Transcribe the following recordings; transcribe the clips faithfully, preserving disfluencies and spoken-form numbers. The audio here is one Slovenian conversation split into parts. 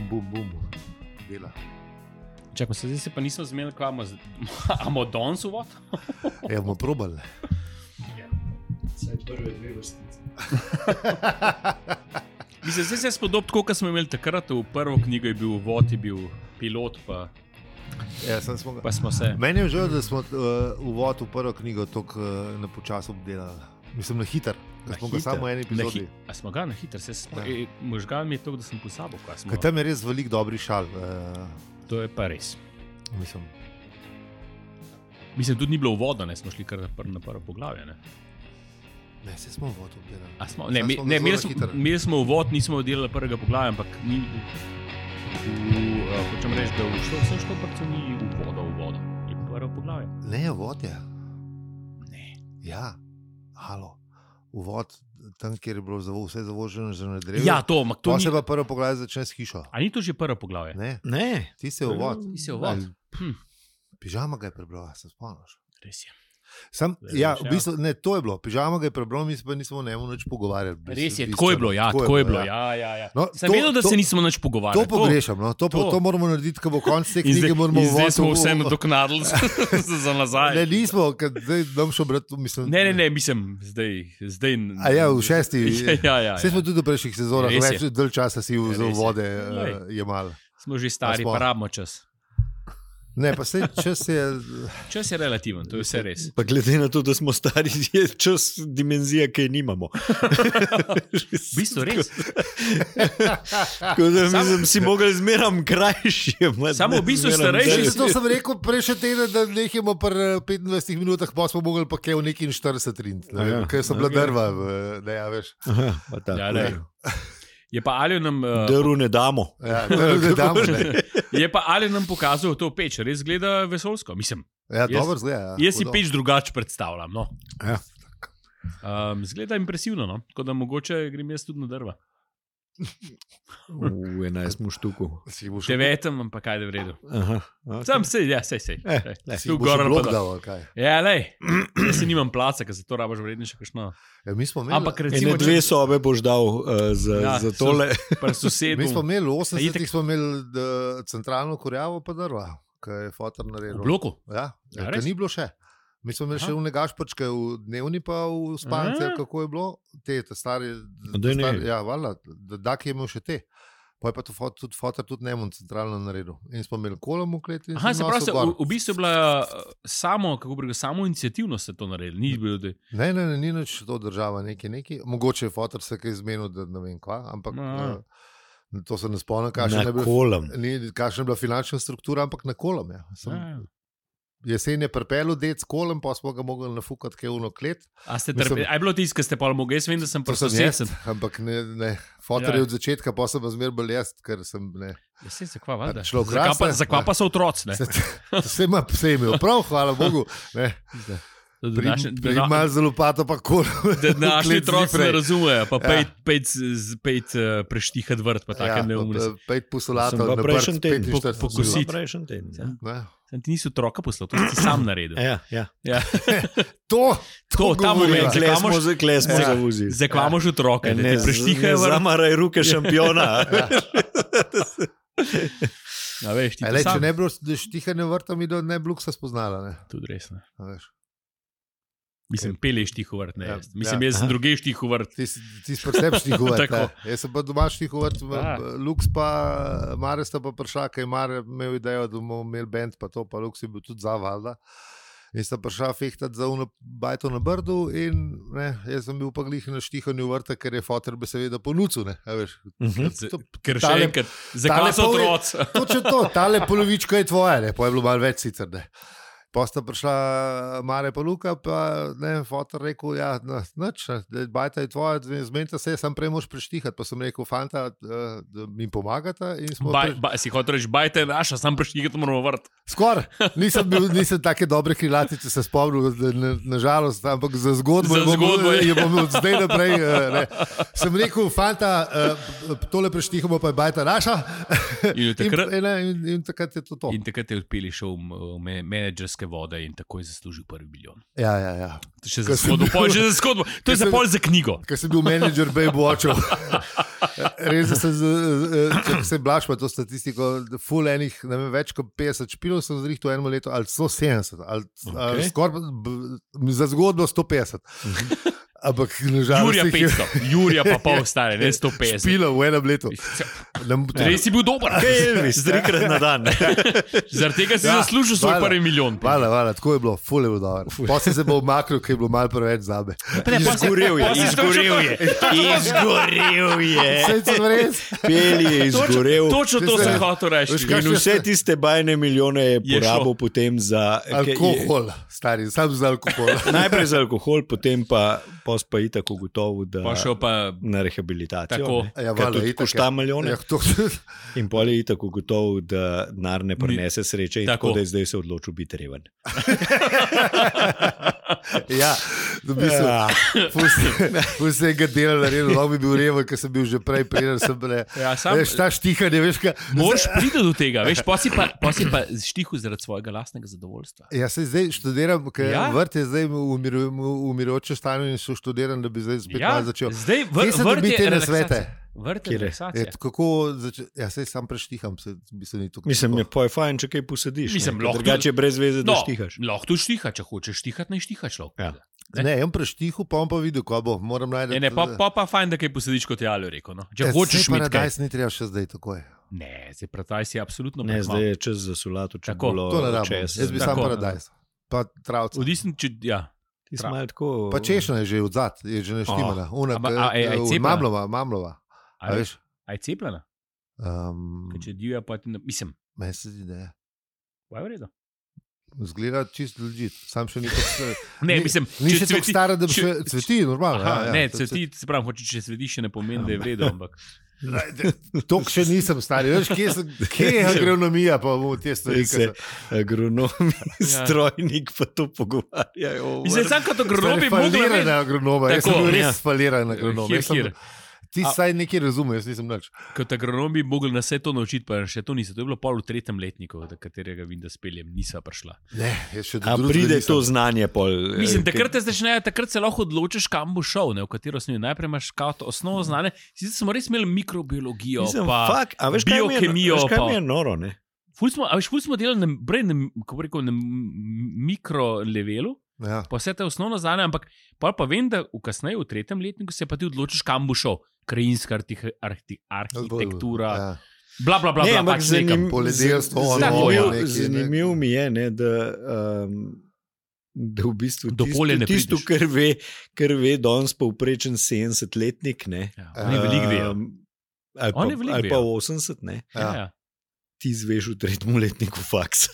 bum, bum, bum, dela. Čakaj, se zdaj se pa nismo zmenili, kva imamo danes uvod? Ja, bomo probali. Saj prve dve vrstice. Mislim, zdaj se je spodob tako, kot smo imeli takrat, v prvo knjigo je bil uvod, je bil pilot, pa, Ja, sem smo ga... pa smo se... Meni je žal, da smo uh, uvod v prvo knjigo tako uh, na počas obdelali. Mislim, na hiter. Da smo ga samo v eni epizodi. Hi... A smo ga na hiter? Se smo... Ja. e, možgal mi je to, da sem pozabil, kaj smo... Kaj tam je res veliko dobrih šal. Uh, To je pa res. mislim. Mislim, tudi ni bilo uvoda, ne smo šli kar na, pr na prvo poglavje, ne? Ne, se smo uvod obdelali. A smo, ne, Sam mi, smo ga ne zelo imeli, na smo, hitro. imeli smo uvod, nismo delali prvega poglavja, ampak ni... V, uh, hočem reči, da v što, vsem štoprcu ni uvoda, uvoda. Je prvo poglavje. Ne, uvod je. Ne. Ja, halo. Uvod tam, kjer je bilo zavo, vse zavoženo že na drevu. Ja, to, ampak to Pa ni... se pa prvo poglavje začne s hišo. A ni to že prvo poglavje? Ne, Ne. ti si uvod. Ti si uvod. Hm, Pižama ga je prebral, se spomniš. res je. Sam, Zdaj ja, veš, v ja. bistvu, ne, to je bilo. Pižama ga je prebral, mi se pa nismo o njemu nič pogovarjali. v bistvu, Res je, bistveno. tako je bilo, ja, tako je bilo, ja, ja, ja. No, Sem to- vedel, da to- se nismo nič pogovarjali. To pogrešam, no? to, to. to. to moramo narediti, ko bo konc te In knjige. zdaj, Moramo in zdaj uvod- smo vse nadoknadili za, za nazaj. Ne, nismo, ker zdaj dam še obrat, mislim. Ne, ne, ne, mislim, zdaj... zdaj A ja, v šesti. Ja, ja, ja, Vse smo ja. tudi v prejšnjih sezonah, Res je. več dalj časa si Res v je. vode Glej. uh, jemal. Smo že stari, smo. pa rabimo čas. Ne, pa se čas je. Čas je relativen, to je vse res. Pa glede na to, da smo stari, je čas dimenzija, ki je nimamo. V bistvu res. Tako da mislim, si mogel zmeram krajši. Samo v bistvu starejši- Zato sem rekel prejšnji teden, da nehamo pri petindvajsetih minutah, pa smo mogli pa kaj v neki štirideset rin, ja. ker so bila drva, v- ne, ja, veš. Aha, pa tako. Ja, lej. Je pa Aljo nam, uh, Drv ne damo. Ja, ne, ne damo, ne. je pa Aljo nam pokazal to peč, res gleda vesoljsko. Mislim, Ja, Jaz- dobro zgleda. Ja, jaz si hudo. peč drugače predstavljam. No. Ja. Um, zgleda impresivno, no? Tako da mogoče grem jaz tudi na drva. V enajstem štuku. Si bo še Devetem, ampak kaj je v redu. Aha, okay. Sam se, ja, sej, sej. Eh, sej. le, si Tu bo še gor ali blok pa dol. dal, ali kaj. Ja, lej, jaz si nimam placa, ker za to rabaš vrednejše kakšno. Ja, mi smo imeli, Ampak Ene recimo, dve sobe boš dal uh, za, Ja, za tole. pri sosedu. mi smo imeli v A osemdesetih itak- smo imeli da, centralno kurjavo pa drva, ki je fotor V naredil. bloku. Ja, Ja, ja res? ni bilo še. Mi smo imeli Aha. še v negašpačke, v dnevni pa v spalnice, A. kako je bilo. Te, te stari, daj ne. stari ja, valjda, da Dak je imel še te. Pa je pa to fot, tudi fotor tudi njemu centralno naredil. In smo imeli kolom v kleti. in Aha, sem se pravi, nosil se, gor. v, v bistvu je bila uh, samo, kako bi rekel, samo inicijativno ste to naredili. Ni bilo, da... Ne, ne, ne, ni nič to država, neki, neki. Mogoče je fotor se kaj zmenil, da ne vem kva, ampak Aha. uh, to se ne spomnim, Na kakšna je bila, kolem. ni, kakšna je bila finančna struktura, ampak na kolom. Ja. Sem, Ja. Jesen je prepel dec kolem, pa smo ga mogli nafukati kaj uno klet. A ste Mislim- trpeli? A je bilo tisto, ki ste pa mogli? Jaz vem, da sem To pri sem jaz, sosedcem. ampak ne, ne. Fotor Ja. je od začetka, pa sem pa zmer bolj jaz, ker sem ne. Ja, sej, zakva, valjda. Človek Zakva pa, raste, zakva ne. pa so otroci, ne? Vse ima, vse je imel prav, hvala Bogu. Ne. Da Pri, današnji- pri da- malo za lopato pa kol. Da naši otroci ne zifrej. razumejo, pa Ja. pejt, pejt, z- pejt uh, preštihati vrt, pa take Ja, neumnosti. pa pet pusolatov Sem pa na prejšnji prst, teden petinštirideset po- pokosit. minut. Prejšnji teden. Ja. Ne. Sem ti niso otroka poslal, to si ti sam naredil. Ja, ja. Ja. To, To, ta moment, govoriva. Zakaj Kle smo, moš- za- kle smo Ja. zavuzili. Zakaj imaš otroke, da Ne, ti preštihajo ne vrt? zamaraj ruke šampiona. Ja, veš, ti E, to lej, če sam. ne bi bilo štihanje vrta, mi da ne bi luksa spoznala. Ne. Tudi res, ne. A veš. Mislim, peleš tih vrt, ne. Ja, jaz. Mislim, ja. jaz sem druge štih vrt. Ti si, ti si preseb štihovrt. Tako. Jaz sem pa doma štihovrt, Ja. Luks pa Mare sta pa prišla, kaj Mare imel idejo, da bomo imeli band, pa to, pa Luks je bil tudi za valjda. In sta prišla fehtati za uno bajto na Brdu in ne, jaz sem bil pa glih na štihanju vrta, ker je fotor bi seveda ponucil, ne, a veš. Mhm. Z- To- Ker še tale- enkrat, zakaj so pol je- otroci? Točno to, tale polovička je tvoja, ne, pa je bilo malo več sicer, ne. Pa sta prišla Mare pa Luka, pa ne, fotor rekel, ja, no, nič, ne, bajta je tvoja, zmenite se, sam prej moš preštihati, pa sem rekel, fanta, eh, da mi pomagata in smo... Baj, pre- ba, si hotel reči, bajte je naša, sam preštihati moramo vrt. Skoraj, nisem bil, nisem take dobre krilatice se spomnil, da na, nažalost, ampak za zgodbo, Za je bom- zgodbo je. je bom od zdaj naprej. eh, Ne. Sem rekel, fanta, eh, tole preštihamo, pa je bajta naša. In od takrat- in, in, in, in takrat je to to. In takrat je odpeli šel v me- menedžerski morske vode in tako je zaslužil prvi milijon. Ja, ja, ja. Še za zgodbo, pol, že za zgodbo. To je za pol za knjigo. Ker sem bil menedžer Babe Watchov. Res sem, če se blaš pa to statistiko, full enih, ne vem, več kot petdeset špilov sem zrihtal eno leto, ali sto sedemdeset, ali, okay. ali skoraj za zgodbo sto petdeset. Ampak, Jurija petsto, Jurija pa pol stare, ne sto petdeset. Špilo v enem letu. Res si bil dober. Elvis, trikrat na dan. Zaradi tega si ja, zaslužil svoj prvi milijon. Hvala, hvala, tako je bilo, ful je bilo dobro. Potem se bo umaknil, ker je bilo malo preveč zame. Izgorel je, izgorel je, izgorel je. Vse sem res. Peli je izgorel. Točno to sem hotel reči. In vse tiste bajne milijone je porabil potem za... Alkohol, stari, sam za alkohol. Najprej za alkohol, potem pa pos pa je tako gotovo, da pa na rehabilitacijo. Ja, vale, tudi košta milijone. Ja, to... In pol je tako gotovo, da denar ne prinese sreče in tako, tako da je zdaj se odločil biti reven. Ja, v bistvu vse ga dela naredil, lahko bi bil reven, ker sem bil že prej preden sem bil. Ja, sam... Veš, ta štihanje, veš, kaj... Moraš priti do tega, veš, pa si pa, pa, si pa štihu zaradi svojega lastnega zadovoljstva. Ja, se zdaj študiram, ker ja? Vrt je zdaj v umirujoče stanju in so študiran, da bi zdaj spet ja, malo začel. Zdaj vr, vrt je relaksacija. Vrt je relaksacija. Kako začeti? Ja, sej sam preštiham. Se, bi se Mislim, je pa je fajn, če kaj posediš. Mislim, drugače je brez veze, da no, štihaš. Lahko tu štiha, če hočeš štihati, ne štihaš lahko. Ja. Ne, ne jaz preštihu, pa on pa videl, ko bo. Moram najti. Ne, ne, pa, pa, pa fajn, da kaj posediš, kot je Aljo rekel. No. Če ja, hočeš imeti kaj. Paradajz ni treba še zdaj takoj. Ne, zdaj paradajz je absolutno ne, zdaj je čas za solato, če bilo čez. Jaz bi sam paradajz. Pa travca. Odvisno, če, ja. Tako... Pa češno je že odzad, je že neštimana. Oh. Una, a, a, a, a mamlova, mamlova. A, a veš? A je cepljena? Um, če divja, pa ti ne... Mislim. Meni se zdi, da je. Pa je v redu. Zgleda čisto legit. Sam še ni tako... Ne, mislim... Ni še tako stara, da bi še cveti, normalno. Aha, ja, ja, ne, cveti, se pravim, hoče, če cveti, še ne pomeni, da je v redu, ampak... Tok še nisem stari. Veš, kje, sem, kje je agronomija, pa bomo te stvari. Se agronomi, strojnik pa to pogovarjajo. Mislim, sam kot agronom bi mogla... Falirane agronome. Jaz sem bil res faliran agronome. Ti A, saj nekaj razumeš, jaz nisem nič. Kot agronom bi mogli na vse to naučiti, pa še to niso. To je bilo pol v tretjem letniku, do katerega vim, da speljem, nisva prišla. Ne, še do A pride to znanje pol. Mislim, takrat te začnejo, takrat se lahko odločiš, kam bo šel, ne, v katero smer. Najprej imaš kao osnovno znanje. Sicer smo res imeli mikrobiologijo, Mislim, pa fuck, a veš, biokemijo. Veš, kaj mi je noro, ne? Ful smo, a veš, ful smo delali na, na, kako rekel, na mikrolevelu. Ja. Pa vse te osnovno znanje, ampak pa, pa vem, da v kasneje, v tretjem letniku se pa ti odločiš, kam bo šel. Krajinska arhi, arhi, arhitektura, ja. Bla, bla, bla, ne, bla, pač zanim, poljedelstvo. Zanimiv, zanimiv mi je, ne, da, um, da v bistvu tisto, tisto kar ve, kar ve danes povprečen sedemdesetletnik, ne. Ja, on je veliko ve. Um, ali pa, ali pa osemdeset, ne. Ja. Ja. Ti zveš v tretjem letniku faksa.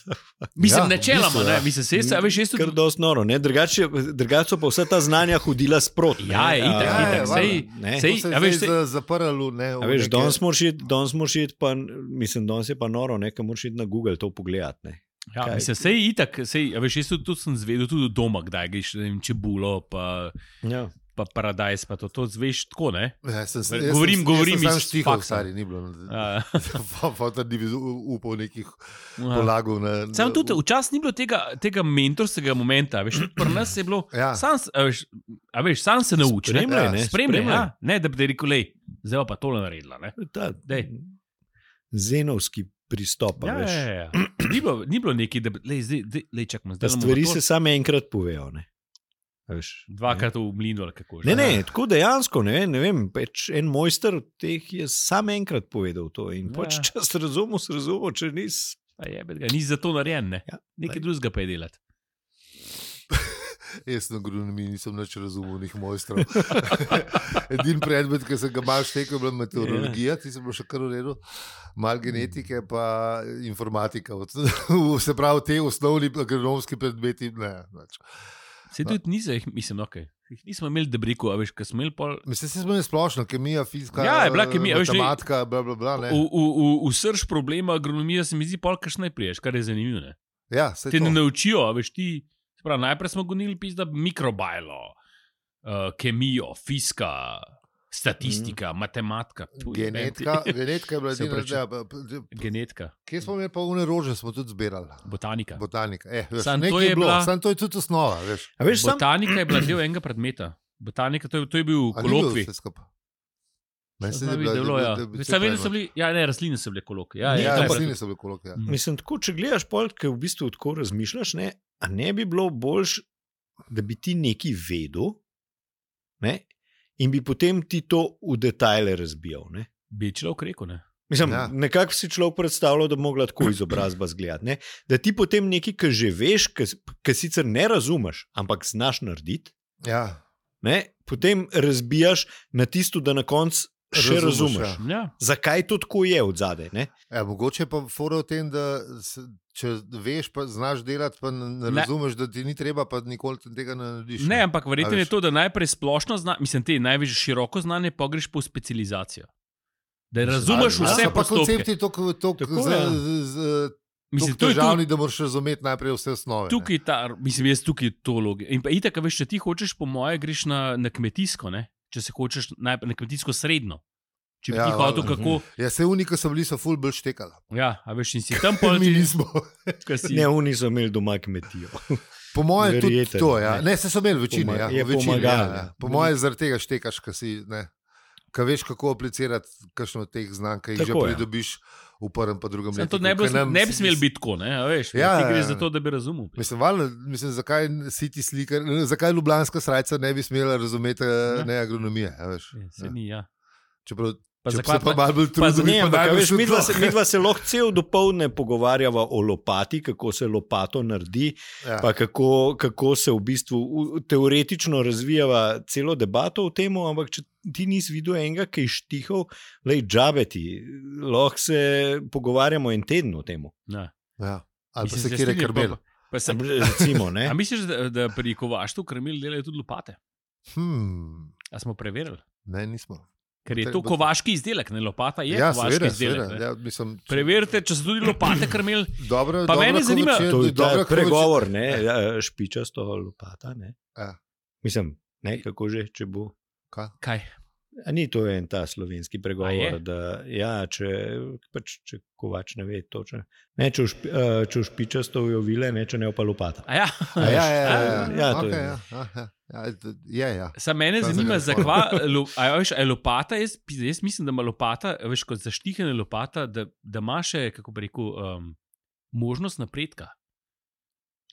Mislim, ja, načeloma, ne, mislim, se jaz, veš, jaz tudi... Kar dost noro, ne, drugače, drugače so pa vsa ta znanja hodila sprot. Ja, je, itak, ja, itak, sej, ne. Sej, se a veš, sej... zaprlo, ne. A veš, danes moraš iti, danes moraš iti pa, mislim, danes je pa noro, ne, ka moraš iti na Google to pogledat, ne. Ja, Kaj? Mislim, sej, itak, sej, a veš, jaz tudi, tudi sem zvedel tudi doma, kdaj greš, ne vem, čebulo, pa... Ja. Pa paradajz, pa to, to zveš tako, ne? Ja, sem, govorim, sem, govorim iz štihov, stari, ni bilo. Fotar ni bi upal nekih polagov. Na, na, Sam tudi, včasih ni bilo tega, tega mentorskega momenta, veš, tudi pri nas je bilo, ja. sam, a veš, a veš, sam se nauči, ne? Spremljaj, ne? Spremljaj, ja. Ne, da bi te rekel, lej, zdaj pa tole naredila, ne? Ta, zenovski pristop, ja, veš. Ja, ja, ja. Ni bilo, ni bilo neki, da bi, lej, zdaj, lej, čakam, zdaj. Da stvari se samo enkrat povejo, ne? Veš, dvakrat v mlinu ali kako že. Ne, ne, tako dejansko, ne, ne vem, peč en mojster teh je sam enkrat povedal to in ja. Pač čas razumel, se razumel, če nis... Pa jebet ga, nis za to narejen, ne. Ja, nekaj drugega pa je delati. Jaz na agronomiji nisem nič razumel, njih mojstrov. Edin predmet, ki sem ga malo štekel, je bila meteorologija, ti sem bil še kar v redu, malo genetike, pa informatika. Se pravi, te osnovni agronomski predmeti, ne, neč. Se tudi nisem, mislim, ok. Nismo imeli debriku, a veš, kaj smo imeli pol... Mislim, se smo imeli splošno, kemija, fizika, ja, je bila kemija, matematika, bla, bla, bla, ne. V, v, v, v srž problema agronomija se mi zdi pol, kaš najpriješ, kar je zanimivo, ne. Ja, se te to. Ne naučijo, a veš, ti... Prav, najprej smo gonili pizda mikrobajlo, uh, kemijo, fizika, Statistika, mm. matematika. Genetika, genetika je bila edina zdaj. Genetika. Kje smo imeli pa une rože, smo tudi zbirali? Botanika. Botanika. Eh, veš, Sam to je je bilo, bila... sam to je tudi osnova. Veš. Veš, Botanika sam... je bila del enega predmeta. Botanika, to je, to je bil kolokvij. Ja, ne, rastline so bile kolokvij. Ja, ja, ja, rastline so bile kolokvij. Ja. Mislim, tako, če gledaš pol, ker v bistvu tako razmišljaš, ne, a ne bi bilo boljš, da bi ti nekaj vedel, ne? In bi potem ti to v detajle razbijal. Ne? Bi človek rekel, ne? Mislim, ja. Nekako si človek predstavljal, da bi mogla tako izobrazba zgledati. Ne? Da ti potem nekaj, ki že veš, ki sicer ne razumeš, ampak znaš narediti, ja. Ne? Potem razbijaš na tisto, da na koncu še razumeš. razumeš. Ja. Zakaj to tako je od zadaj? Ja, mogoče pa fora v tem, da se, če veš, pa znaš delati, pa ne razumeš, da ti ni treba, pa nikoli tega ne narediš. Ne, ampak verjetno je to, da najprej splošno znanje, mislim, te največ široko znanje, pa greš po specializacijo. Da razumeš a, vse a, postopke. Koncepti tako, tako, tako z, z, z, mislim, to je težavni, da moraš razumeti najprej vse osnove. Tukaj ta, mislim, jaz tukaj to logijo. In pa itak, veš, če ti hočeš, po moje, greš na, na kmetijsko, ne? Če se hočeš na, na kmetijsko srednjo. Če bi ja, ti hotel, kako... Ja, se unika so bili, so ful bolj štekali. Ja, a veš, in si tam pol... Mi nismo. Si... Ne, oni so imeli doma kmetijo. Po moje tudi to, ja. Ne, se so imeli večini, Poma, ja. Je večini, pomagal. Ja, ja. Po moje zaradi tega štekaš, ka si, ne. Ka veš, kako aplicirati kakšno od teh znanj, ki jih že pridobiš v prvem pa drugem letu. To ne bi, nam... ne bi smel biti tako, ne, a veš. Ja, ti greš za to, da bi razumel. Mislim, valjno, mislim, zakaj si ti slikar, zakaj ljubljanska srajca ne bi smela razumeti ja. ne agronomije, a veš. Ja, se ni, ja. Čeprav Pa Če zakaj pa malo bolj trudno, ne, pa veš, midva se, midva se lahko cel dopoldne pogovarjava o lopati, kako se lopato naredi, ja. Pa kako, kako se v bistvu teoretično razvijava celo debato o tem, ampak če ti nisi videl enega, ki je štihal, lej džabeti, lahko se pogovarjamo en teden o tem. Ja. Ja. Ali pa se kjer je krmil. Recimo, ne. A misliš, da, da pri kovaštvu krmil delajo tudi lopate? Hmm. A smo preverili? Ne, nismo. Ker je to kovaški izdelek, ne lopata je ja, kovaški seveda, izdelek. Seveda, ja, mislim, če... Preverite, če so tudi lopate krmili. Dobro, pa mene zanima, to je ta pregovor, ne, ja, špičasto lopata, ne. Ja. Mislim, ne, kako že, če bo. Kaj? Kaj? A ni to en ta slovenski pregovor, da ja, če, pač, če kovač ne ve točno. Ne, če v špičasto ujovile, ne, če ne pa lopata. A ja? A ja, ja, ja, ja. ja, to okay, je. Ja, ja. Ja, je, ja. Sam mene Sam zanima, zakva, lo, a, veš, a je lopata, jaz, jaz mislim, da ima lopata, veš, kot zaštihane lopata, da, da ima še, kako bi rekel, um, možnost napredka.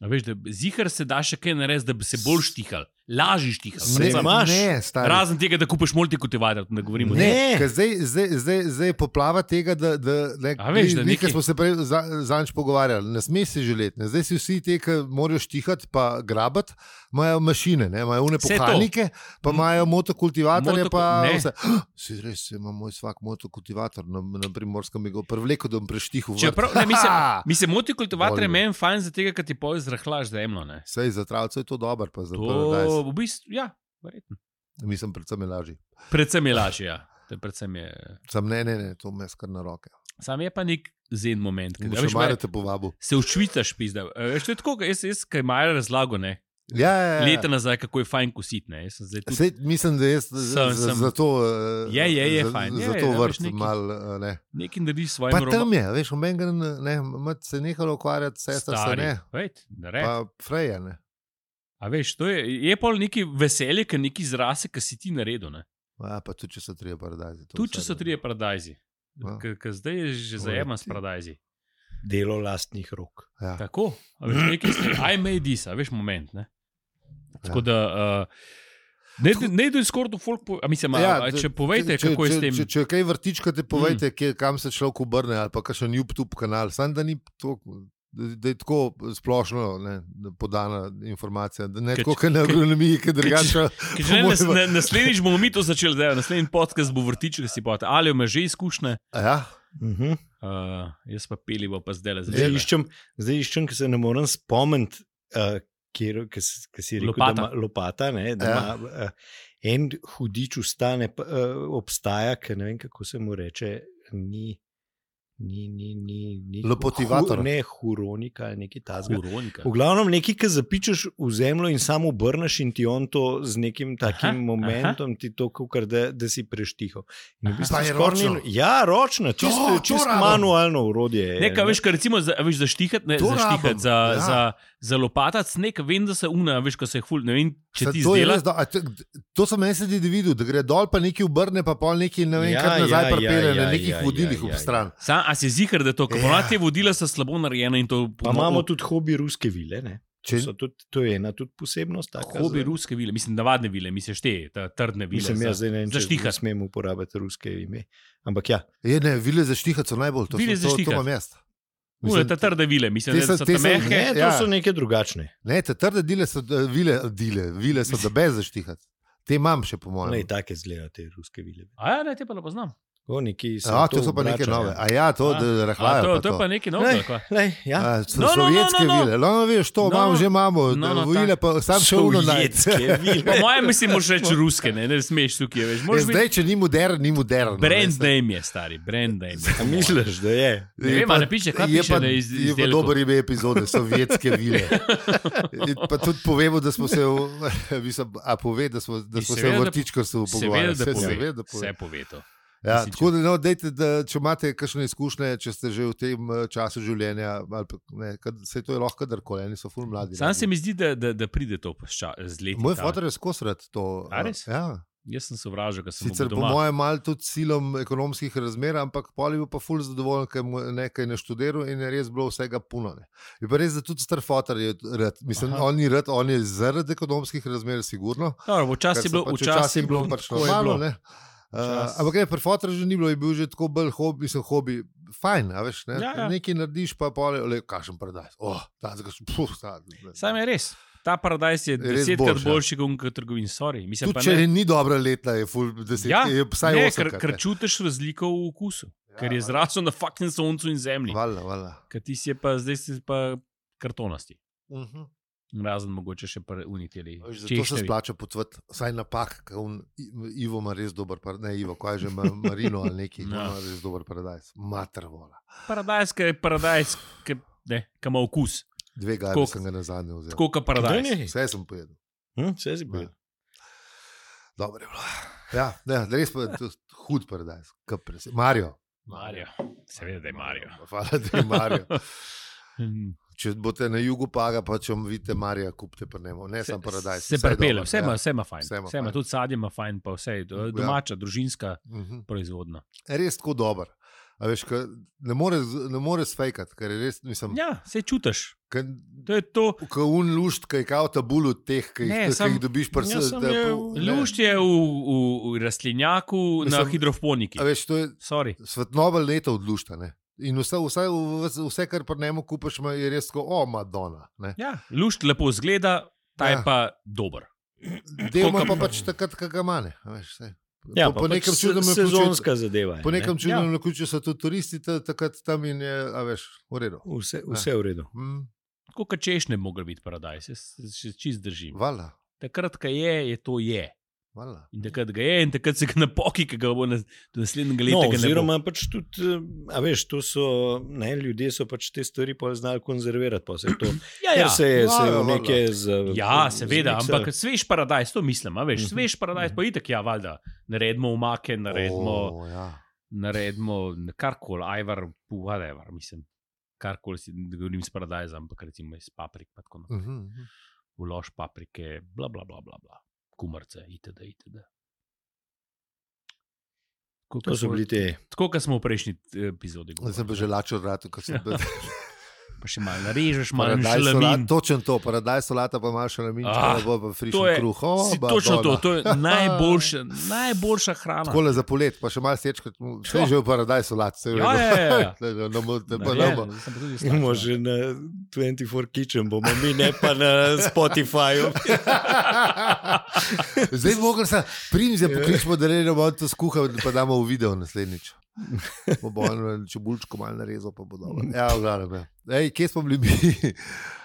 A veš, da zihar se da še kaj narediti, da bi se bolj štihal, lažji štihal. Ne, ne, stari. Razen tega, da kupiš multikultivator, da govorimo. Ne, ne. Zdaj, zdaj, zdaj, zdaj poplava tega, da, da, ne, a veš, da nekaj smo se prej za, zanč pogovarjali, ne sme si želeti. Ne. Zdaj si vsi te, ki morajo štihati pa grabati, imajo mašine, ne, imajo une pohalnike, pa imajo motokultivatorje, Moto, pa ne. vse. Si res, ima moj svak motokultivator na, na Primorskem, mi ga prevleko, da bom preštihal. Čeprav, ne, mislim, mislim, motokultivator je meni fajn za tega, ker ti poje zrahlaš zemljo, ne. Sej, za travce je to dober, pa za to, v bistvu, ja, verjetno. Mislim, predvsem je lažji. Predvsem je lažji, ja. Predvsem je... Sam ne, ne, ne, to me skar na roke. Sam je pa nek zen moment. Bo še malo te povabil. Se učvicaš, pizda. Veš, to je tako, jaz, jaz kaj Maja razlago, ne. Ja, ja, ja. Leta nazaj, kako je fajn kositi, ne. Tudi... Sej, mislim, da jaz sem, za, za to... Je, je, je za, fajn. Za je, to je, vrt neki, mal, ne. Nekaj narediš svojim Pa roba. tam je, veš, v meni ne, mat se nehalo ukvarjati, sestra se ne. Vejt, ne pa Freja, ne. A veš, to je, je pol neki veselje, ker neki zrase, ki si ti naredil, ne. Ja, pa tudi, če so trije paradajzi. Tudi, če so trije paradajzi. Ja. Ker zdaj je že zajeman s paradajzi. Delo lastnih rok. Ja. Tako, a veš, nekaj ste, I made this, a veš, moment, ne. Tako da, uh, ne, ne idu skoraj do folk, po, a mislim, ja, a, če povejte, če, kako je če, s tem. Če, če kaj vrtičkate, povejte, mm. kje, kam se človek obrne, ali pa kakšen YouTube kanal, samo da ni to... da je tako splošno ne, podana informacija, da ne tako, kot na agronomiji, ki drugače. Na, naslednjič bomo mi to začeli, da je naslednji podcast bo vrtiček, si pa ali ima že izkušnje. Ja. Uh-huh. Uh, jaz pa pelivo pa zdaj le zdaj iščem, zdaj iščem, ker se ne morem spomniti, uh, kjer si rekel, lopata. Da ima lopata, ne, da ja. ima uh, en hudič ustane, uh, obstaja, ker ne vem, kako se mu reče, ni, Ni, ni, ni, ni. Lopotivator. Hu, ne, huronika ali nekaj tazga. Huronika. V glavnem nekaj, ki zapičeš v zemljo in samo obrneš in ti on to z nekim takim Aha, momentom, aha. ti to, kar da, da si preštihal. V bistvu Pa je skoraj ročno? ni- Ja, ročno, čisto To, to čist rabim. manualno urodje. je, Ne, kaj veš, kar recimo za, veš, za štihat, ne, To za rabim, štihat, za, ja. za, za lopatac, nek, vem, da se una, veš, ko se je ful, ne vem, če Saj ti to je zdela. res do- a te- To sem meni sedaj videl, da gre dol, pa nekaj obrne, pa pol nekaj, ne vem, Ja, kar nazaj ja, pripelje ja, na ja, nekih ja, vodilih ja, ob ja, stran. Sam, a si zihar, da to, ko Ja. ponavadi te vodila so slabo narejena in to Pa imamo tudi hobi ruske vile. Ne? To, Če- so tudi, to je ena tudi posebnost. taka hobi za- ruske vile, mislim, navadne vile, misliš te, ta trdne vile. Mislim, za- jaz zdaj ne vem, za če štihat. ne smem uporabiti ruske ime. Ampak ja, Je, ne, vile za štihat so najbolj, to, Vile so, za to, to štihat. imam jaz. Une, ta trde vile, mislim, te da so- so te ta so- mehke. ne, to ja. so neke drugačne. Ne, te trde dile so, eh, vile, dile, vile so da bez za štihat. Te imam še, po Ne, mojem. take zgledajo te ruske vile. A ja, ne, te pa ne poznam. O, neki se Ja, to to so pa neke obrača, nove. ja. A ja, to, A, da A, rahlajo. to, pa to je to. pa nekaj Lej, novega. lej, ja. A, so No, no, no, sovjetske no, no. vile, no, veš, to No, imamo, že imamo, no, no, vile pa sam še uno najti. Sovjetske vile. Po mojem, mislim, moraš reči ruske, ne, ne smeš tukaj, veš. Moraš biti Zdaj, če ni modern, ni modern. brand name je, stari, brand name. A misliš, da je? Ne vem, a ne piše, kaj je piše, pa, da je iz- je pa izdelkov. dober ime epizode, sovjetske vile. In pa tudi povemo, da smo se, v, mislim, a pove, da smo, da smo se Seveda, v da- vrtičkarstvu Seveda, pogovarjali. da Saj pove. seveda, da pove. Vse pove to. Ja, Mislim, tako da, no, dejte, da, če imate kakšne izkušnje, če ste že v tem eh, času življenja, ali pa, ne, kad, se to je lahko kadarkoli, oni so ful mladi. Sam se mi zdi, da, da, da pride to poča, z leti. Moj ta- fotor je skozi rad to. A eh, res? Ja. Jaz sem sovražil, ker sem Sicer bil po doma. mojem malo tudi silom ekonomskih razmer, ampak pol je bil pa ful zadovoljen, ker mu je nekaj naštudiral in je res bilo vsega puno. Ne. Je pa res, da tudi star fotor je rad. Mislim, Aha. on ni rad, on je zaradi ekonomskih razmer, sigurno. Dobro, včasih Ker je so bilo, pač včasih je bilo, pač tako je normalno. bilo. Ne. Uh, Včasih. ampak ne, pri fotorju že ni bilo, je bil že tako bolj hobi, mislim, hobi, fajn, a veš, ne? Ja, ja. Nekaj narediš, pa pol, le, kakšen paradajz. Oh, ta, puf, ta, Sam je res. Ta paradajz je res desetkrat boljši, ja. boljši kot unka trgovin, sorry. Mislim, Tudi pa če ne, ni dobra leta, je ful deset, ja, je vsaj ne, osem. ker, ker čutiš razliko v okusu, ja, ker je zrasel na fucking soncu in zemlji. Vala, vala. Ker ti si je pa, zdaj si pa kartonasti. Uh -huh. Razen mogoče še par uniteli. Zato se splača potvati, saj napak, ker on, Ivo ima res dober paradajz, ne Ivo, kaj že ima Marino ali neki, Ja. ima res dober paradajz, mater vola. Paradajz, ki je paradajz, ki ne, ki ima okus. Dve gajbe Tako- sem ga na zadnje vzel. Tako kot paradajz. Ne, ne. Vse sem pojedel. Hm, vse si bil. Ja. Dobro je bilo. Ja, ne, res pa je to hud paradajz. Mario. Mario. Seveda, da je Mario. Hvala, da je Mario. Če boste na jugu paga, pa če vidite Marija, kupite pa ne, ne samo paradajz. Se vse je prepele, dobro, vse ima, ja. vse ima fajn. Vse ima Vse ima, fajn. tudi sadje ima fajn, pa vse je domača, družinska Mhm. proizvodna. Res tako dober. A veš, ke ne more, ne more sfejkati, ker je res, mislim, Ja, se čutiš. ke, To je to. ke un lušt, ki je kao tabul od teh, ki Ne, jih, ki sam- jih dobiš pri Ja, sam je- Lušč je v, v, v rastlinjaku na Mislim, hidroponiki. A veš, to je Sorry. svetnova leta od lušta, ne. In vse, vse, vse, vse kar pri njemu kupiš, ima- je res tako, o, Madonna. Ne. Ja, lušč lepo zgleda, ta je Ja. pa dober. Deloma Tako, pa ka- pač takrat, kaj ga mane. a Veš, saj. Ja, po, po po nekem pač čudnem se- naključju- sezonska zadeva. je, Po ne. nekem čudnem Ja. naključju so tudi turisti ta- takrat tam in je, a veš, v redu. Vse, vse v redu. Mm, Tako kot češ ne mogel biti paradajz, jaz se čist držim. vala, Takrat, ko je, je to je. vala. In takrat ga je, in takrat se ga napoki, ki ga bo na, do naslednjega leta. No, ga ne bo. oziroma, pač tudi, eh, a veš, to so, ne, ljudje so pač te stvari pol znali konzervirati. Pa se to, Ja, ker ja. se je, se je Ja, v neke z, Ja, seveda, zmiksali. ampak svež paradajz, to mislim, a veš, Mhm. svež paradajz, pa itak, ja, valjda, naredimo umake, naredimo, O, ja. naredimo karkoli, ajvar, whatever, mislim, karkoli si, ne govorim s paradajzom, ampak recimo iz paprik, pa tako naprej, Mhm, mhm. vlož paprike, bla, bla, bla, bla, bla. Kumarce, itd., itd. Tako, To kot so smo- bili te. Tako, kot smo v prejšnji eh, epizodi Zdaj sem pa govorili. že lačil vratu, ko sem bil. Pa še malo narežeš, malo Paradajz šalamin. solata, točen to, paradajz solata pa imaš šalamin, Ah, če bo pa To frišen je, kruh. O, si, ba, točno to, dona. to je najboljša, najboljša hrana. Takole za polet, pa še malo sečkati, vse je že v paradajz solat. Vse je v Ja, redu. ja, ja, ja. Ne, ne, ne, ne, Ne, pa ne, ne bo. sem pa tudi Imamo slabša. že na dvajset štiri Kitchen, bomo mi ne pa na Spotifyju. Zdaj bi mogli se primze pokličemo, da ne bomo to skuhali, pa damo v video naslednjič. Bo bo on čebulčko malo narezal, pa bo dobro. Ja, v glavnem. ja. Ej, kje smo bili mi?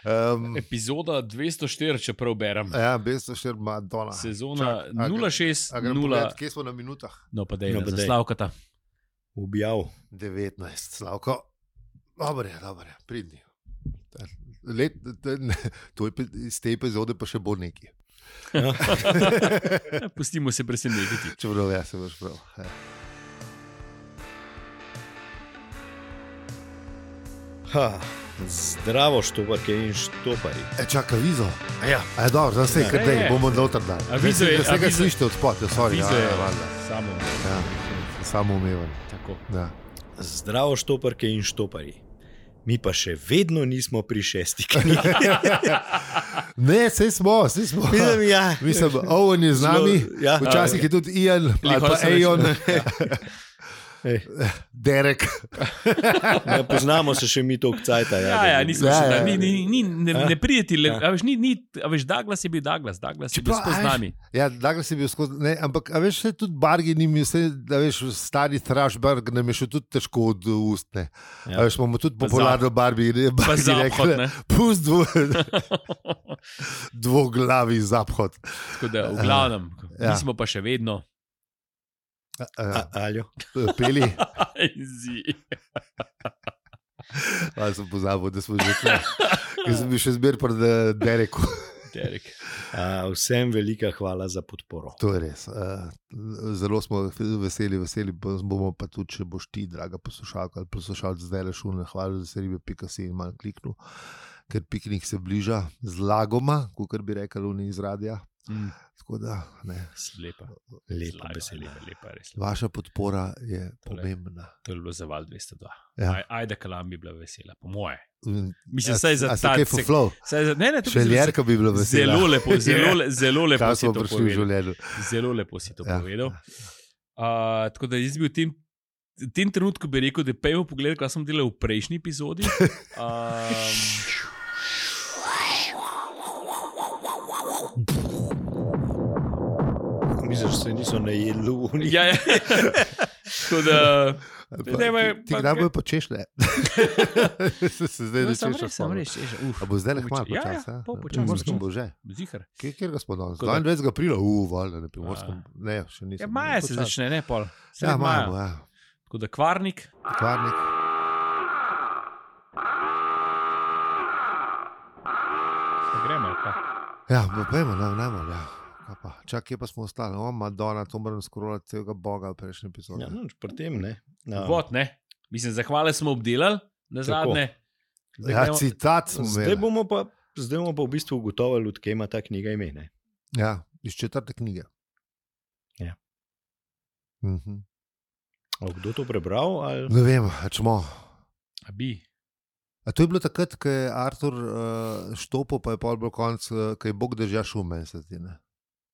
Um, Epizoda dvesto štiri, če prav berem. ja, besto še Madonna. Sezona Čak, a gre- nula šest a grem nula. pogledat, kje smo na minutah? No, pa da je No, pa no, daj. zaslavkata. objav. devetnajst, Slavko. Dobre, dobre, pridni. Let, ne, to je iz te epizode pa še bo neki. Ja. Pustimo se presenetiti. Čeprav ja se boš prav. Ja. Ha, zdravo štoparke in štopari. E, čaka, vizo. Ja. A je dobro, zdaj se je, Ja. kar dej, Je. bomo noter dali. A vizo je- Vse a ga vizo- slišite od spod, sorry. Vizo Ja, je ja, valjda. samo. Ja, samo umeven. Tako. Ja. Zdravo štoparke in štopari. Mi pa še vedno nismo pri šesti knjigi. Ne, sej smo, sej smo. Mislim, ja. Mislim, Owen je z nami, Zelo- ja. včasih je tudi Ian, ali Lihol pa sem rekel. Ejon, Ej, Derek. ne poznamo se še mi toliko cajta. Ja, ja, nismo Ja, še ja. da, ni, ni, ni, ne, Ja. ne prijeti, le, Ja. a veš, ni, ni, a veš, Douglas je bil Douglas, Douglas je bil Čeprav, skozi a veš, nami. Ja, Douglas je bil skozi, ne, ampak a veš, se tudi Bargi ni imel, vse, da veš, stari Thrashberg nam je še tudi težko od ust, ne. Ja. A veš, imamo tudi Pa popularno Barbi, ne, Pa Barbi zaphod, rekla, ne. pust dvo, dvoglavi zaphod. Tako da, v glavnem, Ja. mi smo pa še vedno. Uh, Aljo. peli, Zi. ali sem pozabil, da smo že tukaj. Jaz sem bil še zmer pred eh, Dereku. Derek. A, vsem velika hvala za podporo. To je res. Uh, zelo smo veseli, veseli pa bomo pa tudi, če boš ti, draga poslušalka ali poslušalec, zdaj le šul, hvala za seribe pika si in malo kliknil, ker piknik se bliža z lagoma, kot bi rekel oni iz radia. Mm, Tako da, ne, lepa. Lepa Zlaga, beseda. lepa, lepa, res lepa. vaša podpora je Tole. pomembna. To je bilo za val dvesto dva. Ja. Aj, ajde, kalam bi bila vesela, po moje. In- Mislim, a- saj za a si ta kaj fuflov? saj za- Ne, ne, to bi Še zelo- Ljerka bi bila vesela. Zelo lepo, zelo, le- zelo lepo Kaj si smo to prišli v povedal. življenju. Zelo lepo si to Ja. povedal. Uh, tako da jaz bi v tem, v tem trenutku bi rekel, da pejmo pogled, kaj sem delal v prejšnji epizodi. Um, Misliš, da se niso najedli v njih? ja, ja. Tako da. Pa, Ne, ma- ti ti pa- kdaj bojo počešle? Se se zdaj No, že sem češeš. res, sem res, češ. Uf, A bo zdaj le poč- hmalo ja, počas? ja, ja? pol Na počasi, Primorskem počasi. bo že. Zihar. Kje, kjer ga smo danes? Tako da- dvaindvajsetega aprila, uf, valjda, na Primorskem. Ne, še nisem. Ja, maja se Počasi. začne, ne pol. Sredi Ja, maja, bo, ja. Tako da kvarnik. Kvarnik. Pa gremo, ali kaj? Ja, bo pojmo, ne, najmanj, ja. Kaj pa? Čak, kje pa smo ostali? O, Madonna, to moram skrolati celega Boga v prejšnji epizodi. Ja, no, pri tem ne. Ja. Vod, ne. Mislim, zahvale smo obdelali, na Tako. zadnje. Zdaj Ja, gremo- citat smo Zdaj imeli. bomo pa, zdaj bomo pa v bistvu ugotovili, odkje ima ta knjiga ime. Ne? Ja, iz četrte knjige. Ja. Mhm. A kdo to prebral? Ali? Ne vem, a čemo. A bi. A to je bilo takrat, ko je Artur uh, štopil, pa je pol bil konc, uh, ko je Bog držal šum, meni se zdi. Ne?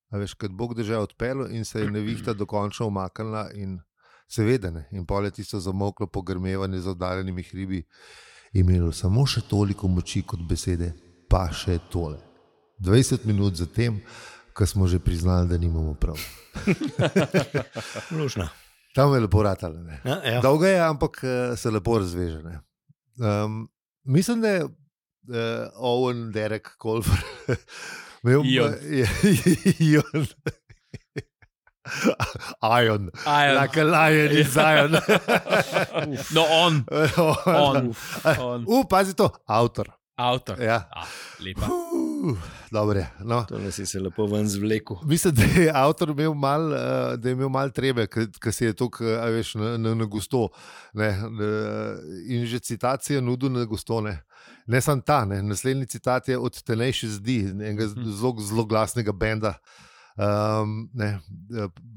A veš, ko je Bog držal odpeljal in se je nevihta dokončno umaknila in seveda ne. In pol je tisto zamoklo pogrmevanje z oddaljenimi hribi imelo samo še toliko moči kot besede, pa še tole. dvajset minut zatem, ko smo že priznali, da nimamo prav. Lušna. Tam je lepo ratalo. Ne? Ja, ja. Dolga je, ampak eh, se lepo razveže. Ne? Um, mislim, da je uh, Owen, Derek, Colfer, imel Ion. Ion. Ion. Ion. Like a lion in Zion. No, on, on, On. on. Uh, pazi to, avtor. Avtor. Ja. Ah, lepa. Uh, dobre, no. To nas je se lepo ven zvlekel. Mislim, da je avtor imel mal, uh, da je imel mal trebe, ker se je to, a veš, na, na, na gusto. Ne, ne, in že citacije nudil na gusto. Ne, ne samo ta, ne. Naslednji citat je od Tenacious D, enega zelo, zelo glasnega benda, um, ne,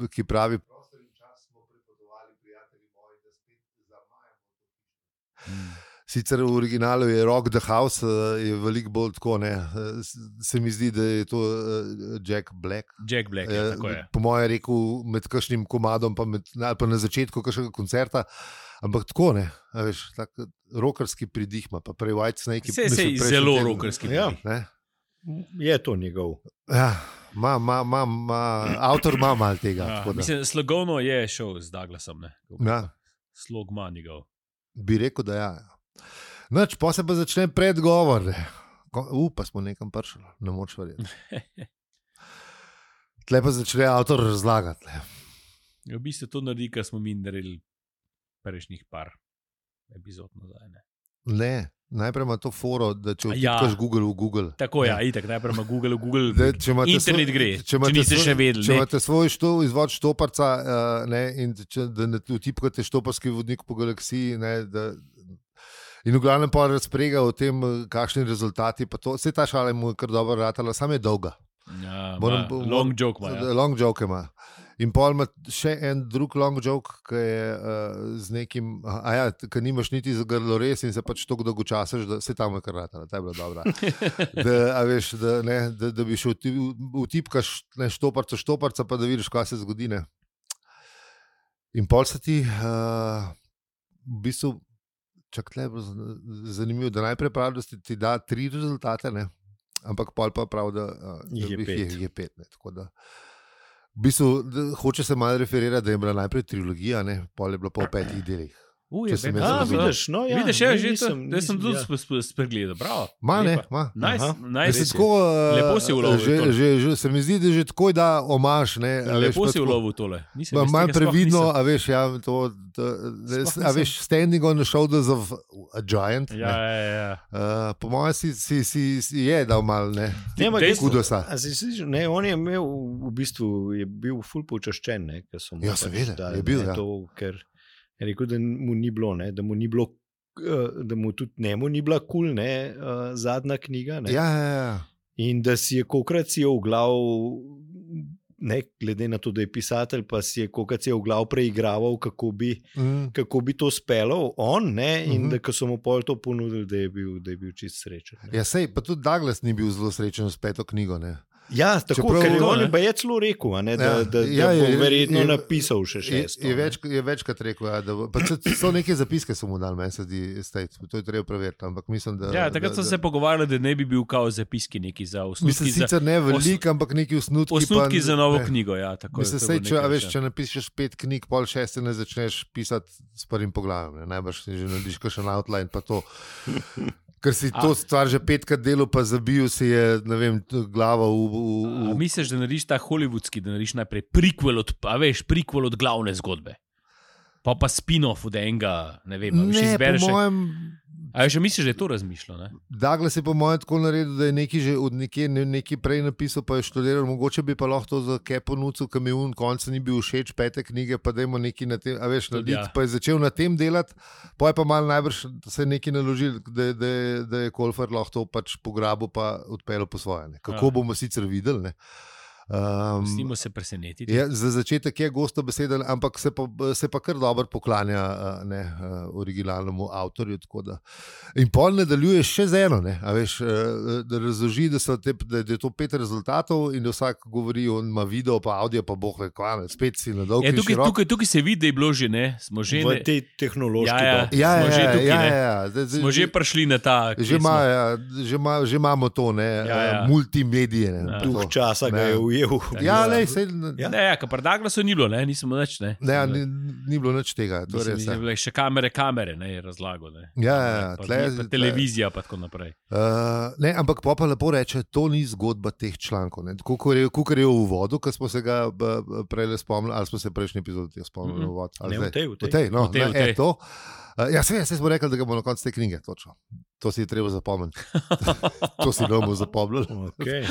ki pravi: prostor in čas smo pripovedovali, prijatelji moji, da spet zamajamo. Sicer v originalu je Rock the House, je veliko bolj tako, ne. Se mi zdi, da je to Jack Black. Jack Black, je, tako je. Po mojem rekel med kakšnim komadom, pa, med, ali pa na začetku kakšnega koncerta. Ampak tako ne, a veš, tak rockerski pridih ima, pa prej White Snake. Sej, sej, zelo rockerski Ja. pridih. Ne? Je to njegov. Ja, ma, ma, ma, ma, avtor ima malo tega. Ja, tako da. mislim, slogovno je šel z Douglasom. Ne? Ja. Slog ima njegov. Bi rekel, da ja. Noč, pa se pa začne predgovor. ne. Ko- U, pa smo nekam prišli, ne moč verjeti. Tle pa začne avtor razlagati. ne. V bistvu to naredi, kar smo mi naredili prejšnjih par epizod nazaj. Ne? Ne, najprej ima to foro, da če Ja. vtipkaš Google v Google. Tako, ja, Ne. itak, najprej ima Google, v Google, Da, če imate internet svoj- gre, če če, imate če niste svoj- še vedeli. Če Ne? imate svoj što, izvod štoparca uh, ne, in če, da ne vtipkate štoparski vodnik po galaksiji, ne, da, in v glavnem pa razprega o tem, kakšni rezultati. Vse ta šala mu je kar dobro ratala, samo je dolga. Ja, Moram- ma, long joke ima. Ja. Long joke ima. In pol ima še en drug long joke, ki je uh, z nekim, a ja, ki nimaš niti za grlo res in se pač tako dolgo časaš, da se tam je kar ratala, ta je bila dobra. Da, a veš, da, ne, da, da bi šel vtipkaš štoparca, štoparca, pa da vidiš, kaj se zgodi. Ne. In pol se ti uh, v bistvu, čak tle je zanimivo, da najprej pravi, da ti da tri rezultate, ne. Ampak pol pa pravi, da, uh, Jih je da pet. je, je pet. Ne, tako da, v bistvu, da, hoče se malo referirati, da je bila najprej trilogija, ne, pol je bila pa v petih delih. Uh, Če je sem bed- jaz A, razumel. vidiš, no, ja, Vidiš, ja, ne, že to, nisem- da sem nisem- tudi ja. sp- sp- spregledal. Bravo. Ma ne, Lepa. ma. Nice, Aha. nice. Mislim, tako, uh, Lepo si ulovil že, tole. že, že, se mi zdi, da že tako da omaš. Ne, a veš, Lepo pa si tako- ulovil tole. Nisem, Ma- jaz Malo tega sploh previdno, nisem. a veš, ja, to, to, da, Sploh a veš, standing on the shoulders of a giant. Ja, ne. ja, ja. Uh, po mojem si, si, si, si je dal mal, ne. Ne, ampak Dejstvo- Kudosa. A si si- ne, on je imel v bistvu je bil ful počaščen, ne, ker so mu Ja, pač seveda, dali, je bil, ne, ja. to, ker je rekel, da mu ni bilo, ne, da mu ni bilo, eh, da mu tudi njemu ni bila kul, cool, ne, eh, zadnja knjiga, ne. Ja, ja, ja. In da si je kokrat si je v glav, ne, glede na to, da je pisatelj, pa si je kokrat si je v glav preigraval, kako bi, Mm. kako bi to speljal on, ne, in Mhm. da ko so mu pol to ponudili, da je bil, da je bil čist srečen. Ne. Ja, sej, pa tudi Douglas ni bil zelo srečen s peto knjigo. Ne. Ja, tako Čeprav- ker je To, on ne. je pa je celo rekel, a ne, da, Ja, da, da ja, bo je- verjetno je- napisal še Je, šesto. je, ne. več, je večkrat rekel, ja, da bo- pa so, so neke zapiske so mu dali, meni se zdi, state, to je treba preveriti. Ampak mislim, da. Ja, takrat da, so se pogovarjali, da ne bi bil kao zapiski neki za osnutki. Mislim, za, sicer ne veliko, ampak neki osnutki. osnutki pa, za novo ne. knjigo. Ja, tako, Mislim, to sej, bo če, a nekaj veš, še. če napišeš pet knjig, pol šeste ne začneš pisati s prvim poglavjem. Ne. Najbrž si že narediš kakšen outline, pa to. Ker si A- to stvar že petkrat delal, pa zabil si je, ne vem, glavo v. v, A v misliš, da narediš ta hollywoodski, da narediš najprej prequel od, a veš, prequel od glavne zgodbe? Pa pa spin-off od enega, ne vem, a veš, ne, izbereš. po mojem. A veš, misliš, da je to razmišljal? Ne? Douglas je po mojem tako naredil, da je nekaj že od nekje ne, nekaj prej napisal, pa je študiral. Mogoče bi pa lahko to za Kepo nucil, ki mi je v koncu ni bil všeč, pete knjige, pa da ima nekaj na tem, a veš, Tudi narediti, ja. pa je začel na tem delati, pa je pa malo najbrž se nekaj naložil, da, da, da je Kolfer lahko to pač pograbil, pa odpeljal po svoje. Ne. Kako Ja. bomo sicer videli. Ne. Um, Snimo se presenetiti. Je, za začetek je gosto beseden, ampak se pa, se pa kar dobro poklanja a, ne, a, originalnemu avtorju. tako Da. In pol nadaljuje še z eno, ne, a veš, a, da razloži, da, so te, da je to pet rezultatov in da vsak govori, on ima video, pa audio, pa boh ve, kaj, ne, spet si na dolg Ja, in tukaj, širok. tukaj, tukaj se vidi, da je bilo že, ne? Smo že, V ne, tej tehnološki Ja, ja. dobi. Ja, smo ja, že ja, tukaj, ja, ne. ja, zdaj- zdaj- smo že prišli na ta. Že, kje ima, smo. ja, že, ima, že imamo to, ne, Ja, ja. multimedije. Ne, Ja. pa to. Duh časa ga Ne. je ujel. Ja, Ja. lej, sej, Ja. Ne, ja, kar Douglasu ni bilo, ne, nismo nič. Ne, ne, ni, ni bilo nič tega. To je Mislim, res. mislim, ja. bile še kamere, kamere, ne je razlago. Ne. Ja, ja, ja, Pa, tle- pa tle- televizija, pa tako naprej. Uh, ne, ampak pa pa lepo reče, to ni zgodba teh člankov. Kukor je, kukor je v uvodu, ki smo se ga b- b- prej spomnili, ali smo se prejšnji epizodi spomnili Mhm. v uvod. ali Ne, v zdaj? tej, v tej. V tej, no, V tej, ne, v tej. e, to. Uh, ja, se, se smo rekli, da ga bomo na koncu te knjige, točno. To si je treba zapomniti. To si ne bomo zapomnili. Okay.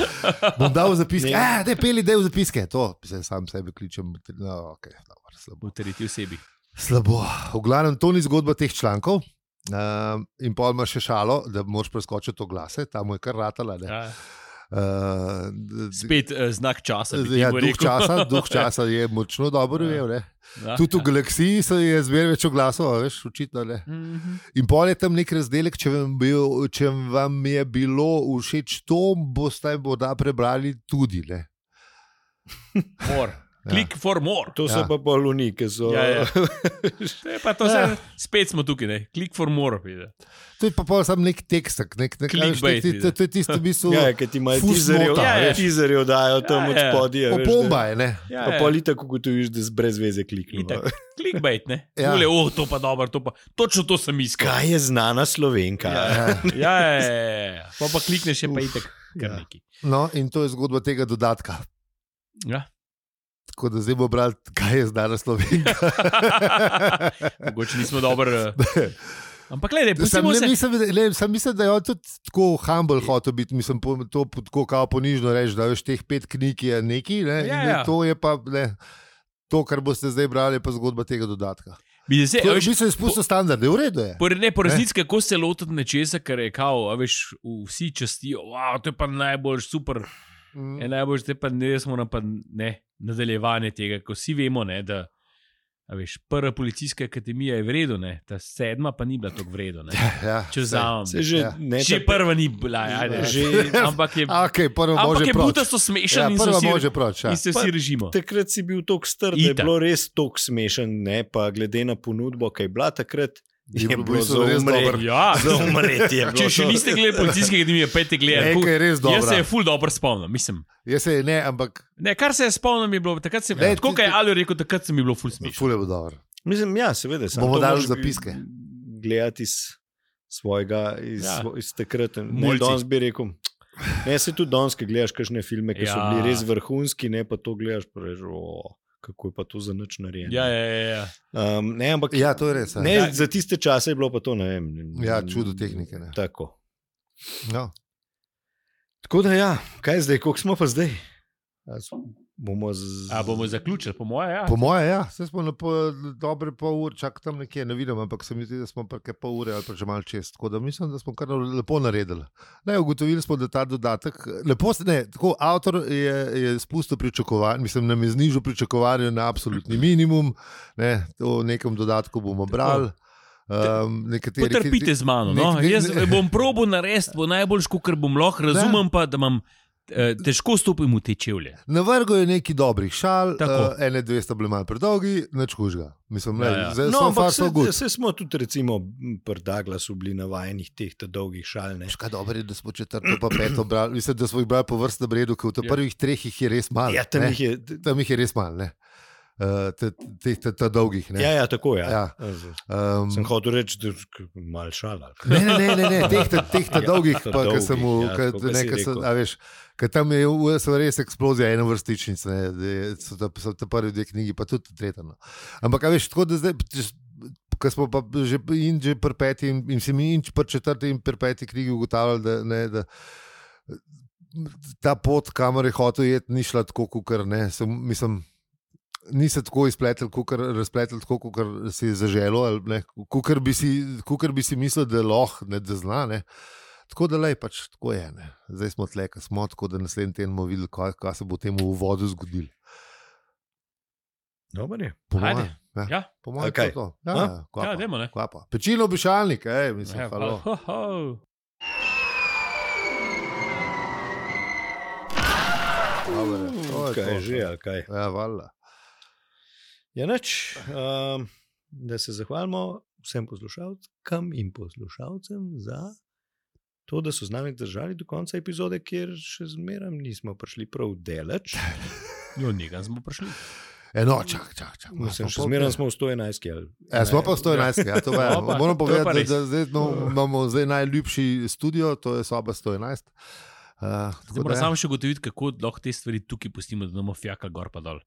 Bom dal v zapiske, Ne. ah, da peli del v zapiske. To se sam sebe kličem. No, okay, dobro, slabo. V tretji osebi. Slabo. V glavnem, to ni zgodba teh člankov. Uh, in pol ima še šalo, da moraš preskočiti oglase, tam je kar ratala. Ne. Ja. Uh, d- d- Spet uh, znak časa. bi Ja, temu duh rekel. časa, duh časa je močno dobro Ja. ujel. Ja, Tudi v ja. galaksiji se je zmeraj več oglasov, a veš, očitno ne. Mhm. In pol je tam nek razdelek, če vam, bil, če vam je bilo všeč to, boste morda prebrali tudi. Ne. More. Click for more. To so Ja. pa poluni, ki so. Ja, ja. To je pa to, Ja. se, spet smo tukaj, ne? Click for more. Vidi. To je pa pol samo nek tekstek, nek, nek, nek, Clickbait, nek, to, to je tisto, v bistvu. Ja, ki ti imajo Fusnota, tizerjev, ja, ja. tizerjev dajo tam Ja, od ja. spodaj. Opomba je, ne. Ja, Pa ja. pol itak ugotoviš, da z brez veze klikneš. Itak. Clickbait, ne? Ja. Ja. Oh, to pa dobro, to pa. Točno to sem iskal. Kaj je znana Slovenka? Ja, ja, ja, ja, ja. Pa pa klikneš, je pa itek kar Ja. neki. No, in to je zgodba tega dodatka. Ja. Tako da zdaj bomo brali, kaj je znana Slovenka. Mogoče nismo dobri. Ampak, gledaj, Sam, pustimo ne, se. mislim, le, sam mislim, da je on tudi tako humble hotel biti, mislim, po, to tako kao ponižno reči, da veš, teh pet knjig je neki, ne, Ja, in ja. to je pa, ne, to, kar boste zdaj brali, je pa zgodba tega dodatka. Bi se, To a je veš, v bistvu izpustil standarde, v redu je. Po, ne, po resnici, kako se lotiti nečesa, kar je kao, a veš, vsi častijo, wow, to je pa najboljš, super, Mm. je najboljš, te pa ne, smo na pa ne, nadaljevanje tega, ko vsi vemo, ne, da, a veš, prva policijska akademija je v redu, ne, ta sedma pa ni bila tako v redu, ne, Ja, če vzamem. Se že, Ja. ne, Že ta- prva ni bila, ajde, Že- ampak je, Okay, prvo ampak može je proč. butasto smešen Ja, in, se prvo vsi, može proč. Ja. in se Pa- vsi režimo. Takrat si bil tako star, da je Itak. bilo res tako smešen, ne pa glede na ponudbo, kaj je bila takrat. Je Je bilo bilo v bistvu za res umret. dobro. Ja, Za umreti je bilo. če še to. niste gledali policijske akademije, pejte gledati. Nekaj je res Jaz se dobro. je ful dobro spomnim, mislim. Jaz se ne, ampak Ne, kar se je spomnim, je bilo takrat, se, Ne, tako ti- kot je Aljo rekel, takrat se mi je bilo ful smešno. ful je bilo dobro. Mislim, ja, seveda. samo Bomo to dali moraš zapiske. Gledati iz svojega, iz, Ja. ja. iz takrat. Ne, Mulci. danes bi rekel. Ne, se tudi danes, ki gledaš kakšne filme, ki ja. so Ja. bili res vrhunski, ne pa to gledaš, pa rečeš, o, kako je pa to za nič narejeno. Ja, ja, ja. ja. Um, ne, ampak Ja, to je res. Ja, ne, Ja. za tiste čase je bilo pa to, ne vem. ja čudo tehnike. Ne. Tako. No. Tako da ja, kaj zdaj, koliko smo pa zdaj? A s- Bomo z... A bomo zaključili, po moje, ja. Po moje, ja, vse smo na po, dobre pol ure, čak tam nekje, ne vidim, ampak se mi zdi, da smo pa kaj pol ure ali pa že malo čez. Tako da mislim, da smo kar lepo naredili. Ne, ugotovili smo, da ta dodatek, lepo se, ne, tako avtor je, je spustil pričakovanje, mislim, nam je znižal pričakovanje na absolutni minimum, ne, to v nekem dodatku bomo brali. Um, nekateri, Potrpite z mano. No? nek- nek- Jaz bom probo narediti, bo najboljš, kar bom lahko, razumem pa, da imam eh, težko stopim v te čevlje. Na vrhu je nekaj dobrih šal, Tako. uh, ene, dve sta bili malo predolgi, nič kužga. Mislim, Ja, ja, ja. ja. Zdaj No, so ampak far se, so good. se smo tudi, recimo, pri Douglasu bili navajenih teh ta dolgih šal. Ne? Veš, kaj dobro je, da smo četrto pa peto brali. Mislim, da smo jih brali po vrstnem redu, ker v teh Ja. prvih treh jih je res malo. Ja, tam ne. jih je. Tam jih je res malo, ne. Uh, Teh te, te, te dolgih. Ne. Ja, ja, tako je. Ja. Ja. Um, Sem hotel reči, da je malo šala. ne, ne, ne, ne, ne, teh, te, teh te Ja, dolgih, ta pa, ki dolgih, sem mu, ja, ka, tako, kot ne, si ka sem, rekel. a veš, ka tam je v- so res eksplozija ene vrstičnice, ne, da je- so ta, so ta prvi dve knjigi, pa tudi tretja. No. Ampak, a veš, tako da zdaj, ko smo pa že in že pri peti in, in si mi in pri četrti in pri peti knjigi ugotavljali, da, ne, da ta pot, kamor je hotel jeti, ni šla tako, kot ne, sem, mislim, ni se tako izpletel, kukor, razpletel tako, kot si je zaželo, kot bi, bi si mislil, da lahko, ne da zna. Ne. Tako da lej, pač tako je. Ne. Zdaj smo tle, ko smo, tako da naslednji teden bomo videli, kaj, kaj se bo temu v vodu zgodilo. Dobar je. Po Ajde. moje, ja. Ja, Po moje, A kaj? to je to. Ja, A? ja, kva ja pa, dajmo, ne. kva pa. Pečino obišalnik, ej, mislim, Ja, halo. ho, ho. Dobre, to je Kaj to. je že, ali kaj? Ja, valjda. Ja, nič. Um, da se zahvalimo vsem poslušalkam in poslušalcem za to, da so z nami držali do konca epizode, kjer še zmeraj nismo prišli prav daleč. Jo, nekam smo prišli. Eno, čak, čak, čak. Mislim, še zmeraj smo v sto enajst. Ja, smo pa v sto enajst, ja, to je. Opa, Moram to je pa povedati, res. da, da zdaj no, imamo zdaj najljubši studio, to je soba sto enajst. Uh, Zdaj moramo samo še ugotoviti, kako lahko te stvari tukaj pustimo, da imamo fjaka gor pa dol.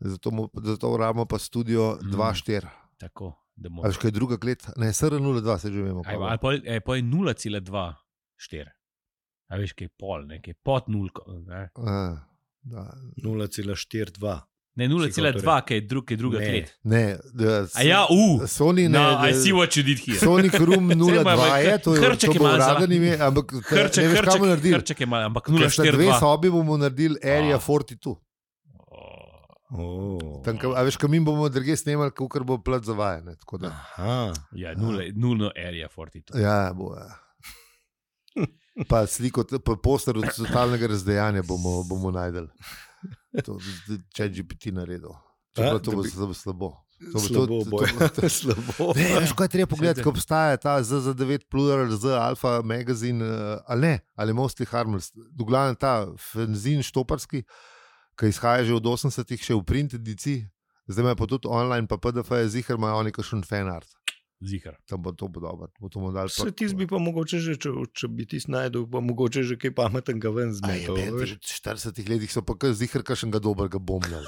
Zato, mu, zato rabimo pa studio Mm. dva štiri. Tako, da Ali bomo. še kaj druga klet? Ne, S R nula dva se že vemo. Aj, ali pa je, pa je nula cela dva štiri. A veš, kaj je pol, nekaj pod nulko. Ne, Uh, da. nula cela štiri dva. ne nula cela hotel dva, kaj je, drug, kaj je druga Ne. klet. Ne, da, A ja, u! Sony ne. No, I da- see what you did here. Sonic Room nula dva je, to je Hrček to je bo malo za- uraden ime, ampak te- Hrček, ne veš, kam bomo hrček, naredili. hrček je malo, ampak nula Ker sta štiri dve dva. sobi bomo naredili Area Ah. štirideset dva. Oh. Tam, kam- a veš, kam mi bomo druge snemali, ker bo plat zavajen. tako da. Aha. Ja, nula, nulno area štirideset dva. Ja, bo. Ja. Pa sliko, pa poster od totalnega razdejanja bomo, bomo najdel. Če G P T naredil. Čeprav A, to da bo bi- zelo slabo. To bo Slabo to- to- bo. to- Slabo. Ne, veš, kaj je treba pogledati, ko obstaja ta Z Z devet Plural, Z Alfa magazin, eh, ali ne, ali Mostly Harmless. V glavnem ta fanzin štoparski, ki izhaja že od osemdesetih, še v print ediciji, zdaj ima pa tudi online, pa P D F je zihar, imajo oni kakšen fanart. Zihar. Tam bo to bo dobro, bo to mu dal. Se ti bi pa mogoče že, če, če bi ti snajdel, pa mogoče že kaj pametnega ven Aj, zmetal. v štiridesetih letih so pa kar zihar kakšnega dobrega bombljali.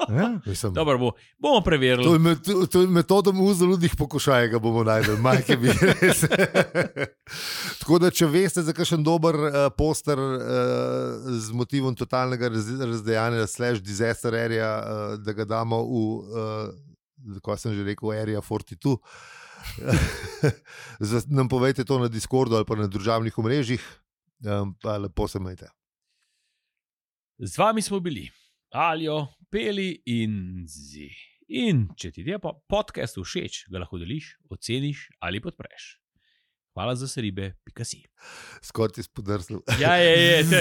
Ja, mislim, Dobro, bo, bomo preverili. to je, met, to je metoda muzoludnih pokušaj, ga bomo najdel, majke bi res. Tako da, če veste za kakšen dober uh, poster uh, z motivom totalnega raz, razdejanja slash disaster area, uh, da ga damo v, uh, kako sem že rekel, area štirideset dva, nam povejte to na Discordu ali pa na družabnih omrežjih, um, pa lepo se majte. Z vami smo bili Aljo, Peli in Zi. In če ti je podcast všeč, ga lahko deliš, oceniš ali podpreš. Hvala za seribe, pika si. Skoro ti spodrsnil. Ja, je, je, te,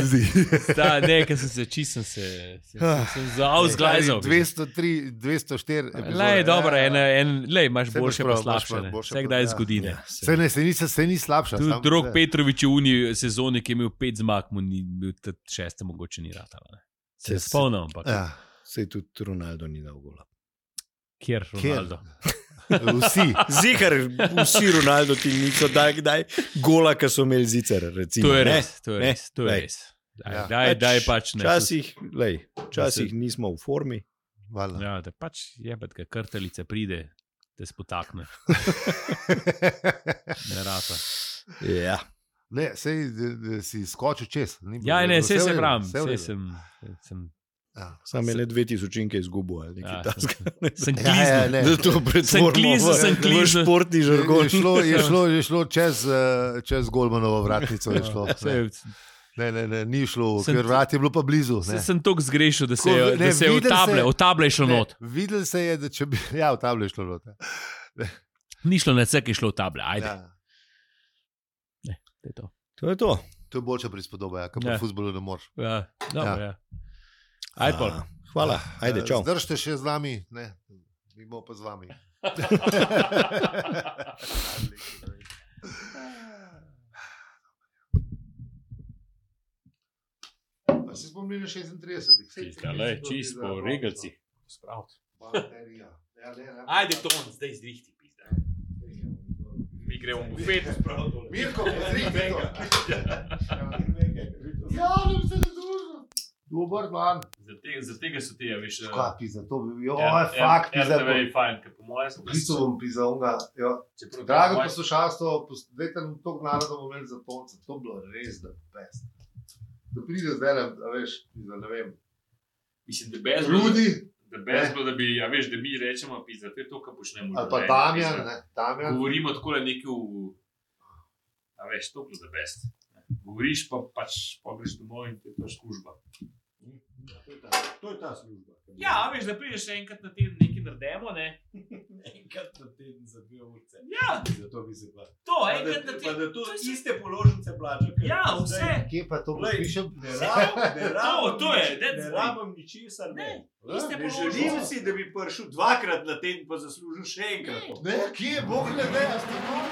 ta, ne, ker sem se čistil, se, se, sem zauzglajzal. dvesto tri, dvesto štiri epizode. Lej, dobro, en, en, lej, imaš Saj boljše prav, pa slabše. imaš boljše Vse pa- kdaj ja. zgodi. Ja, Se, ne, se, ni, se ni slabša. Tudi sam- drug ne. Petrovič v uni sezoni, ki je imel pet zmag, mu ni bil tudi šeste, mogoče ni ratalo. Se Se- se- spomnim, ampak Ja. Sej tudi Ronaldo ni dal gola. kjer Ronaldo. Vsi. Zihar, vsi Ronaldo ti niso dali kdaj gola, ki so imeli zicer. Recimo, To je ne? res, to je Ne? res. To je Lej. res. Daj, Ja. daj, daj pač ne. Včasih, lej, včasih nismo v formi. Valjda. Ja, da pač jebet, kaj krtelice pride, te spotakne. Ne rata. Ja. Ne, sej da, da si skočil čez. Ni bilo- Ja, ne, vse vse v se redu, pravim, vse v vse redu. sem, sem, Ja. Sam je le dve tisočinke izgubil ali ja, nekaj takega. sem Ja, ja, kliznil. ne. Da to pretvorimo klizel, v- sem v klizel. športni Je žargon. šlo, je, šlo, je šlo čez, eh, čez Golmanovo vratnico. Je šlo, ne. Sej, Ne, ne, ne, ni šlo, Sem- ker vrat je bilo pa blizu. Se, ne. sem toliko zgrešil, da se Tako, je, ne, da se je v videl table, se- v table je šlo Ne, not. videl se je, da če bi. Ja, v tablo je šlo not. Ja. Ni šlo na vse, ki je šlo v table. Ajde, Ja. to je to. To je to. To je boljša prispodoba, ja, kot Ja. pri futbolu ne moreš. Ja, dobro, Ja. ja. Ajde, pol. A, Hvala, ajde, čau. Zdržite še z nami, ne, mi bomo pa z vami. Pa si spomnili na šestintridesetih. Saj Čisto, tri lej, mesece čisto bilo po za regalci. konco. Baterija. Ja, ne, ne. Ajde, Ton, zdaj zrihti, pizda. Mi gremo v bufet. Mirko, pozrite to. Ja, ne bi se ne družil. Dobar dan. Zaradi tega so ti, ja, veš. Kaj pizza, to bi, jo, Ja, fakt, pizza. R T V je fajn, ker po mojem sem Pisal bom pizza, onga, jo. Čeprav Drago po mojem- poslušalstvo, dajte nam toliko naroda bomo imeli za tonce, to bi bilo res da best. Da pride zdaj, a veš, pizza, ne vem, Mislim, da brez bilo, Rudi da brez bilo, da bi, ja, veš, da mi rečemo, pizda, to je to, kar počnemo. v ali pa življenju, Damjan, pizda. ne, Damjan. Govorimo tako le nekaj v, a veš, to je za best. Govoriš pa pač, pa greš domov in to je to služba. To je ta služba. Ja, a veš, da prideš enkrat na teden nekaj naredimo, ne? Enkrat na teden za dve urce. Ja, Zato bi se pa. to, enkrat na Pa teden. da to To je iste položnice plača. ker Ja, zdaj vse. Kje pa to Glej, pišem? Ne rabim, ne rabim, to je, nič- that's ne the- rabim ničesar. Ne, Ne, iste ne položnice. želim si, da bi prišel dvakrat na teden, pa zaslužil še enkrat. Ne, kje, bog ne ve, a ste malo?